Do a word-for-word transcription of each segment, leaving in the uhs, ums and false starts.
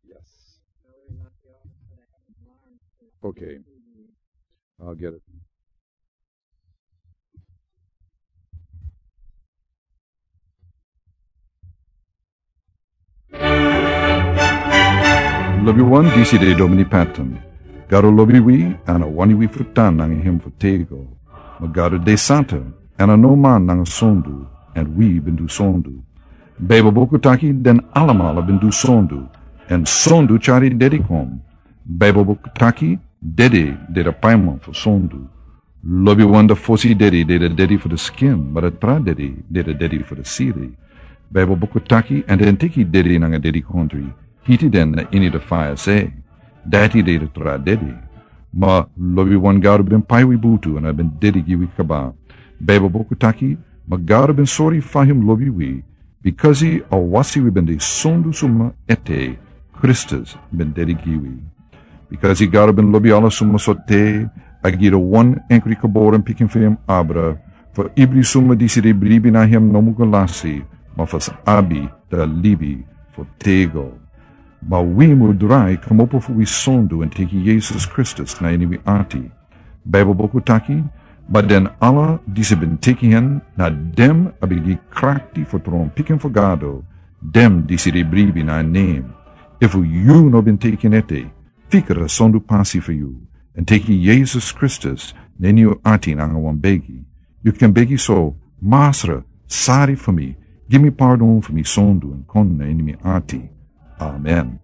Yes. Okay. I'll get it. Lobiwan, disi de Domini Patton. Gado lobi wi, èn a wani wi fu tan nanga hem fu tego. Ma Gado de santa, èn a no man nanga sondu, èn wi ben du sondu. Baibel buku taki den alamala ben du sondu, èn sondu tyari dede kon. Baibel buku taki dede de de paiman fu sondu. Lobiwan, da fosi dede de de dede fu de skin, ma da tra dede de de dede fu de siri. Baibel buku taki, èn den teki dede nanga dedikondri, hiti den na ini de faya se. Dati de de tra dede. Ma lobiwan, Gado ben pai wi butu èn a ben dede gi wi kaba. Baibel buku taki, ma Gado ben sori fa hem lobi wi, bikasi a wasi wi ben de sondu suma ete, Kristus ben dede gi wi. Bikasi Gado ben lobi ala suma so te, a gi de wan enkri geboren pikin fu hem abra, fu ibri suma disi de bribi na hem no mu go lasi, ma fu sa abi de libi fu tego. Ma wi mu drai kmopo fu wi sondu èn teki Yesus Kristus na ini wi ati. Baibel buku taki, ma den ala disi ben teki hen, na dem a ben gi krakti fu tron pikin fu Gado, dem disi de bribi na nen. Efu yu no ben teki en ete, fikra sondu pasi fu yu, èn teki Yesus Kristus na ini yu ati nanga wan begi. Yu kan begi so: Masra, sori fu mi, gi mi pardon fu mi sondu èn kon na ini mi ati. Amen.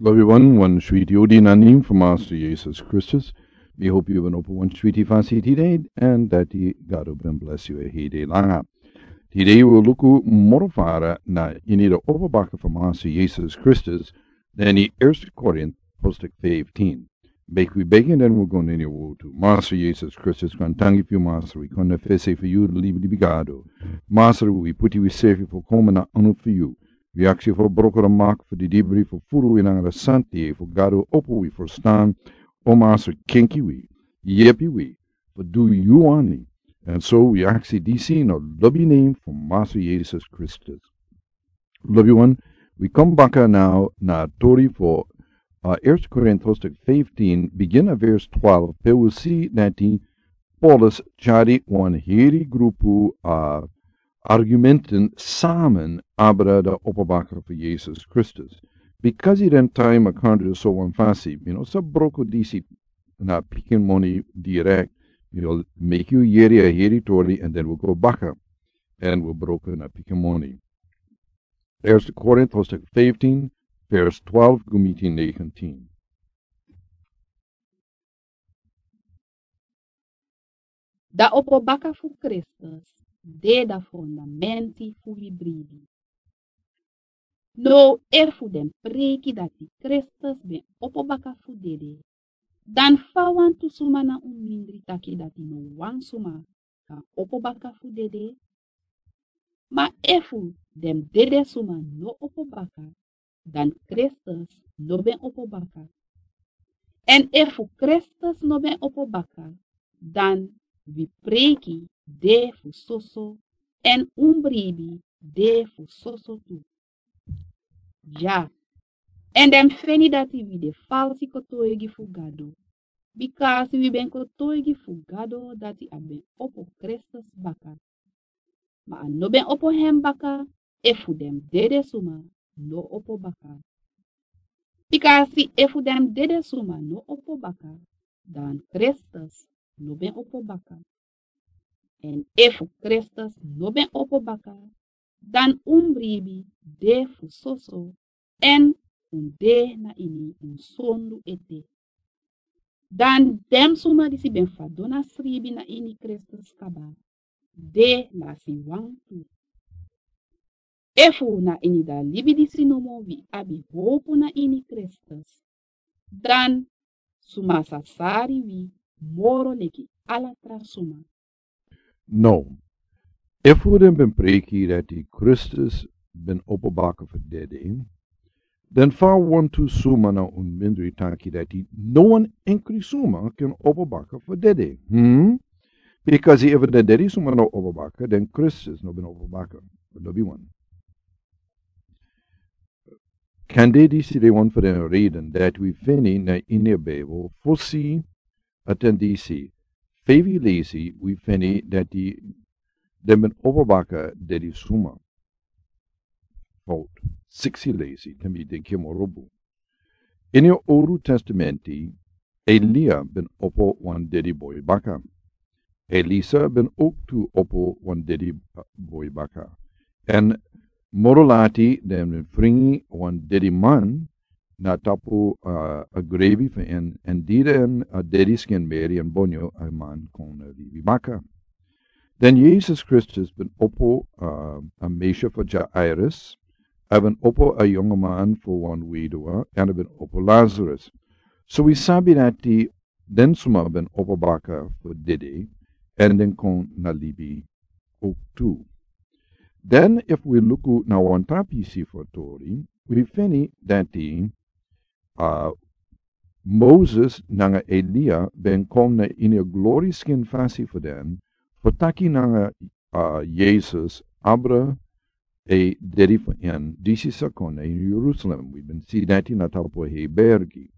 Lobiwan, wan switi odi na nen fu Masra Yesus Kristus. Mi hopi yu ben opo wan switi fasi tide, èn dati Gado ben blesi yu a hede langa. Tide wi o luku moro fara na ini de opo baka fu Masra Yesus Kristus, na ini Eerste Korint, hoofdstuk fifteen. Meki wi begi, èn den wi go na ini a wortu. Masra Yesus Kristus, kon tangi fu yu, Masra, wi kon na fesi fu yu, libi, libi Gado. Masra, wi puti wi sefi fu kon na anu fu yu. Wi aksi fu broko de mak fu di dibri fu furu wi nanga de santi fu Gado opo wi ferstan. O Masra, kenki wi, yepi wi fu du yu wani. Èn so wi aksi disi na lobi nen fu Masra Yesus Kristus. Lobiwan, wi kon baka nau na tori fu, uh, Eerste Korint hoofdstuk fifteen, bigin na vers twaalf, pe wi si dati Paulus tyari wan heri grupu, uh, argumenten samen abra de opo baka fu Yesus Kristus. Bikasi den taim a kandri so wan fasi, mi no sa broko disi na pikin moni direct, mi o meki yu yeri a heri tori, èn den wi go baka, èn wi broko na pikin moni. Eerste Korint hoofdstuk fifteen, vers twaalf go miti negentien. Da opo baka fu Kristus de da fondamenti fu wi bribi. Now, efu den preiki dati Kristus ben opo baka fu dede, dan fa wantu suma na un mindri taki dati no wan suma kan opo baka fu dede? Ma efu den dede suma no opo baka, dan Kristus no ben opo baka. Èn efu Kristus no ben opo baka, dan wi preiki de fu soso, èn un bribi de fu soso tu. Ya, èn den feni dati wi de falsi kotoigi fu Gado, bikasi wi ben kotoigi fu Gado dati a ben opo Kristus baka. Ma a no ben opo hem baka, efu den dede suma no opo baka. Bikasi efu den dede suma no opo baka, dan Kristus no ben opo baka. Èn efu Kristus no ben opo baka, dan un bribi de fu soso, èn un de na ini un sondu ete. Dan den suma disi ben fadon na sribi na ini Kristus kaba, de lasi wantu. Efu na ini da libi disi nomo wi abi howpu na ini Kristus, dan suma sa sari wi moro leki ala tra suma. No, efu den ben preiki dati Kristus ben opo baka fu dede, dan fa wantu suma na un mindri taki dati no wan enkri suma kan opo baka fu dede? Hmm? Bikasi efu den dede suma no opo baka, dan Kristus no ben opo baka. Lobiwan, Kande disi de wan fu den reden dati wi feni na ini a Bijbel, fosi a ten disi, feifi leisi wi feni dati den ben opo baka dedi suma. Fout, siksi leisi, te mi denki moro bun. Ini a Owru Testamenti, Elia ben opo wan dedi boi baka. Elisa ben ook tu opo wan dedi, uh, boi baka. En moro lati den ben fringi wan dedi man na tapu, uh, a grebi fu en, en di den a dedi skin meri en bonyo a man kon, uh, libi baka. Den Jesus Kristus ben opo, uh, a meisje fu Jairus, a ben opo a yonge man fu wan weduwe, en a ben opo Lazarus. So wi sabi dati den suma ben opo baka fu dedi, en den kon na libi ook tu. Den efu wi luku na wan tra pisi fu tori, wi feni dati, uh, Moses nanga Elia ben kon na ini a glori skin fasi fu den, fu taki nanga, uh, Jesus, abra a dedi fu en, disi sa kon na ini Jerusalem. Wi ben si dati na tapu a hei bergi.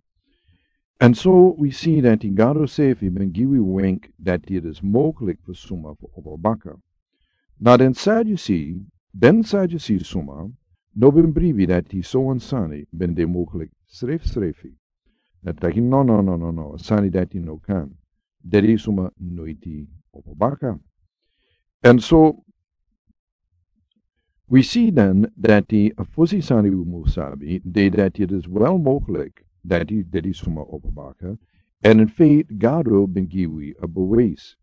En so wi si dati Gado sefi ben gi wi wenk dati it is mogelijk fu suma fu opo baka. Na den Sadducee, den Sadducee suma, no ben bribi dati so wan sani ben de mogelijk srefsrefi. Na taki no, no, no, no, no, sani dati no kan. Dedi suma noiti opo baka. En so, wi si den dati a fosi sani wi mus sabi, de dati it is wel mogelijk dati dedi suma opo baka, en in feite Gado ben gi wi a bewijs.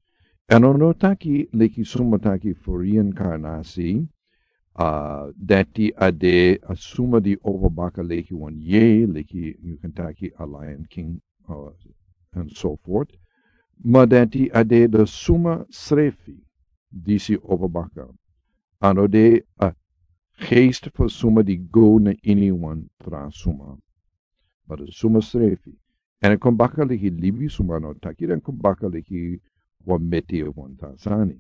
En a no taki leki suma taki fu reincarnatie, uh, dati a de a suma di opo baka leki wan yei, leki yu kan taki a Lion King, uh, and so forth. Ma dati a de de suma srefi disi opo baka. A no de a geest fu suma di go na ini wan tra suma. Ma de suma srefi. En a kon baka leki libi suma, no taki den kon baka leki wan meti of wan tra sani.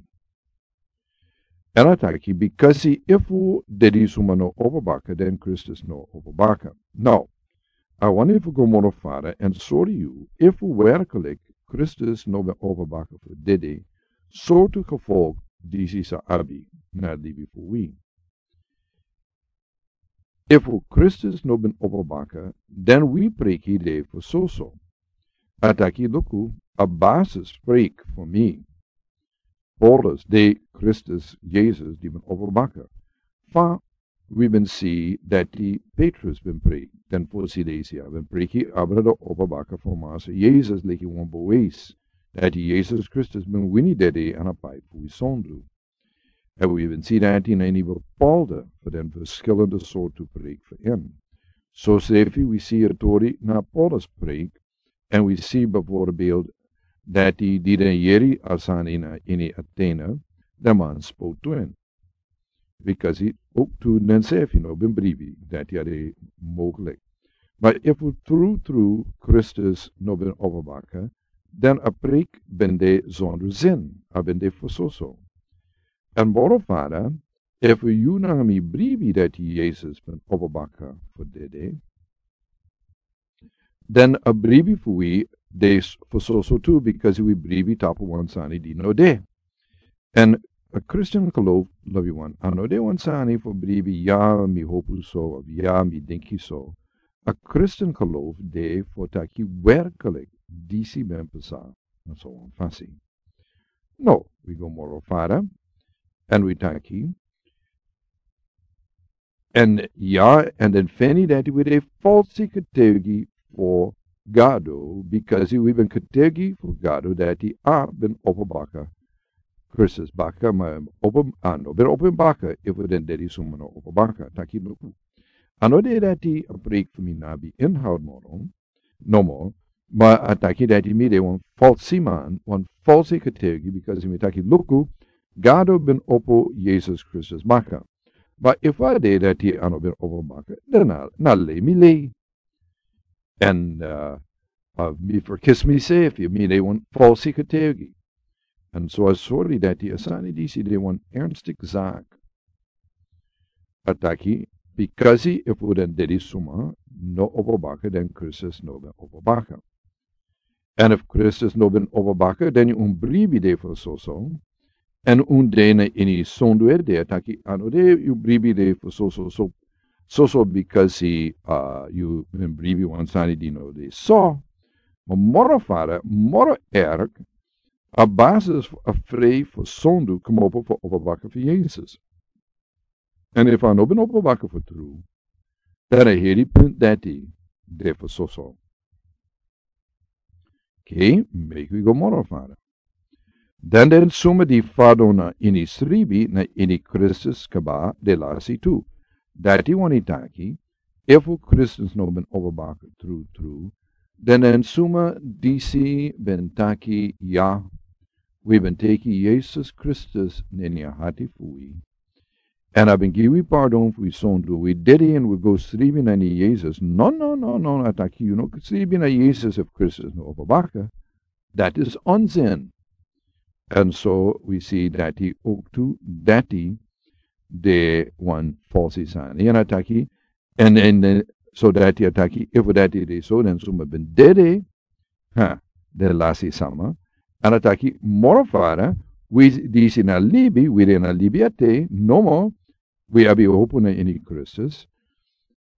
En a taki, bikasi efu dedi suma no opo baka, den Kristus no opo baka. Now, a wani fu go moro fara en sori yu, efu werkelijk Kristus no ben opo baka fu dedi, sortu gevolg disi sa abi na libi fu wi. Efu Kristus no ben opo baka, den wi preiki de fu soso. A taki luku, a basis preik fu mi. Paulus de Kristus Jesus di ben opo baka. Fa wi ben si dati Petrus ben preik, den fosi leisi a ben preiki abra de opo baka fu Massa Jesus leki wan bewijs dati Jesus Kristus ben wini dedi en a pai fu wi sondu. En wi ben si dati na ini bepaalde fu den verschillende sortu preik fu en. So srefi wi si a tori na Paulus preik, en wi si bijvoorbeeld dati di den yeri a sani na ini Atene, den man spotu en. Bikasi ook tu den sefi no ben bribi dati a de mogelijk. Ma efu tru tru Kristus no ben opo baka, den a preik ben de zonder zin, a ben de fu soso. En moro fara, efu yu nanga mi bribi dati Jesus ben opo baka fu dedi, den a bribi fu wi de s-, fu soso tu, bikasi wi bribi tapu wan sani di no de. En a Christian geloof, lobi wan, a no de wan sani fu bribi, ya mi hopu so, of ya mi denki so. A Christian geloof de fu taki werkelijk disi ben pasa, na so wan fasi. No, wi go moro fara, en wi taki, en ya, en den feni dati wi de falsi getuigi fu Gado, bikasi wi ben getuigi fu Gado dati a ben opo baka. Kristus baka, ma opo, a no ben opo baka, efu den dedi suma no opo baka, taki luku. A no de dati a preik fu mi no abi inhoud moro, nomo, ma a taki dati mi de wan falsi man, wan falsi getuigi, bikasi mi taki luku, Gado ben opo Jesus Kristus baka. Ma efu a de dati a no ben opo baka, dan na, na lei mi lei. En, uh, uh, mi vergis misefi, mi de wan falsi getuigi. En so a sori dati a sani disi de wan ernstig zaak. A taki, Bikasi efu den dede suma no opo baka, den Kristus no ben opo baka. Èn efu Kristus no ben opo baka, den un bribi de fu soso. Èn un de na ini sondu ede, a taki a no de yu bribi de fu soso, so, soso bikasi, uh, yu ben bribi wan sani di no de so. Ma moro fara, moro erg, a basis fu a frei fu sondu komopo fu opo baka fu Yesus. Èn efu a no ben opo baka fu tru, dan a heri punt dati de fu soso. Oké, meki wi go moro fara. Dan den suma di fadon na ini sribi na ini Kristus kaba de lasi tu. Dati wani taki, efu Kristus no ben opo baka tru tru, dan den suma disi ben taki ya, wi ben teki Yesus Kristus na ini a hati fu wi. Èn a ben gi wi pardon fu wi sondu, wi dede èn wi go sribi na ini Yesus. No, no, no, no, a taki yu no sribi na Yesus efu Kristus no opo baka. Dati is onzin. Èn so wi si dati ook tu, dati de wan falsi sani. Èn a taki, èn, èn, èn, so dati a taki, efu dati de so, den suma ben dede, ha, den lasi sama. Èn a taki, moro fara, wi disi na libi, wi de na libi ete, nomo, wi abi hopu na ini Kristus.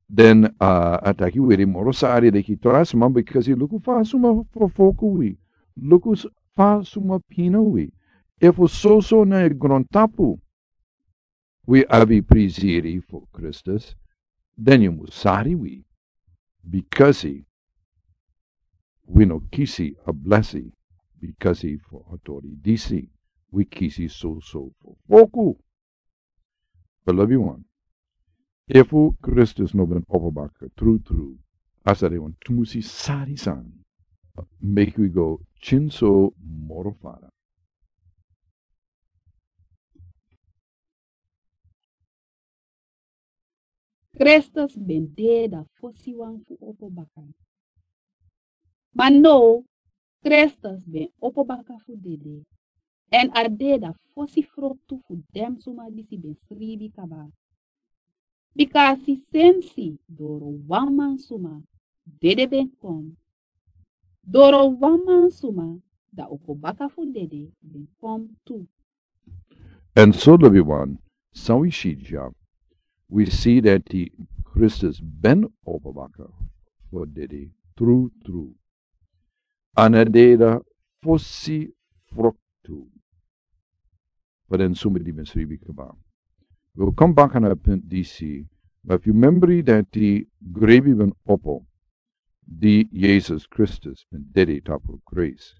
Den, uh, a taki wi de moro sari leki tra suma, bikasi luku fa suma fofoku wi. Luku s-, fa suma pina wi. Efu soso na e grontapu wi abi prisiri fu Kristus, den yu mus sari wi. Bikasi wi no kisi a blesi, bikasi fu a tori disi, wi kisi soso fofoku. Beloved one, efu Kristus no ben opo baka tru tru, a sa de wan tumusi sari sani. Meki wi go kinso moro fara. Kristus ben de a fosi wan fu opo baka. Ma now, Kristus ben opo baka fu dede, èn a de a fosi froktu fu den suma disi ben sribi kaba. Bikasi sensi doro wan man suma dede ben kon, doro wan man suma a opo baka fu dede ben kon tu. Èn so, lobi wan, san wi si dya, wi si dati Kristus ben opo baka fu dede tru tru. Èn a de a fosi froktu fu den suma di ben sribi kaba. Wi o kon baka na a punt disi, ma fu membri dati grebi ben opo, di Yesus Kristus ben dede tapu krusu.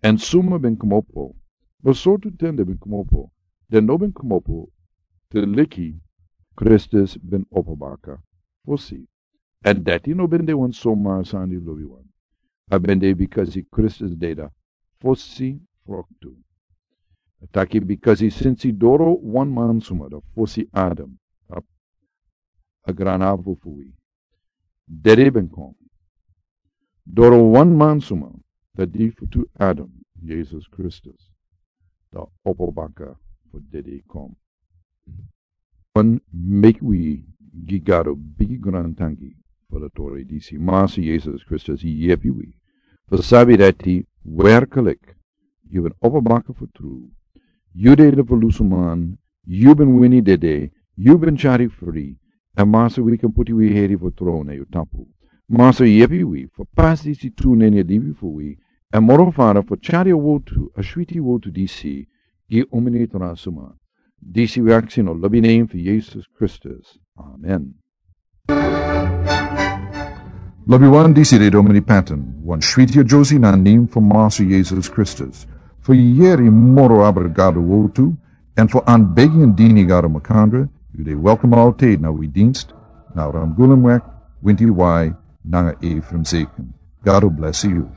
Èn suma ben komopo, ma sortu ten den ben komopo, den no ben komopo te leki Kristus ben opo baka fosi. Èn dati no ben de wan somar sani, lobi wan. A ben de bikasi Kristus de a fosi froktu. A taki bikasi sensi doro wan man suma, a fosi Adam, a, a granapu fu wi, dede ben kon. Doro wan man suma, a di fu tu Adam, Yesus Kristus, a opo baka fu dede kon. Wan, meki wi gi Gado bigi grantangi fu a tori disi. Masa Yesus Kristus yepi wi fu sabi dati werkelijk yu ben opo baka fu tru. Yu de a verlozen man, yu ben wini dede, yu ben tyari fri. Èn Masa, wi kan poti wi heri fu tron na yu tapu. Masa, yepi wi fu pasi disi tu na ini a libi fu wi. Èn moro fara fu tyari a wotu, a switi wotu disi, gi omeni tra suma. Disi wi aksi na a lobi nen fu Yesus Kristus. Amen. Lobi wan, disi de Domini Patton, wan switi a Josie na a nen fu Masa Yesus Kristus. Fu yeri moro abra Gado wotu, èn fu anbegi èn dini Gado makandra, yu de welkom altijd na wi dienst, na Ramgulumweg, winti wai, nanga Ephraim Zeken. Gado blesi yu.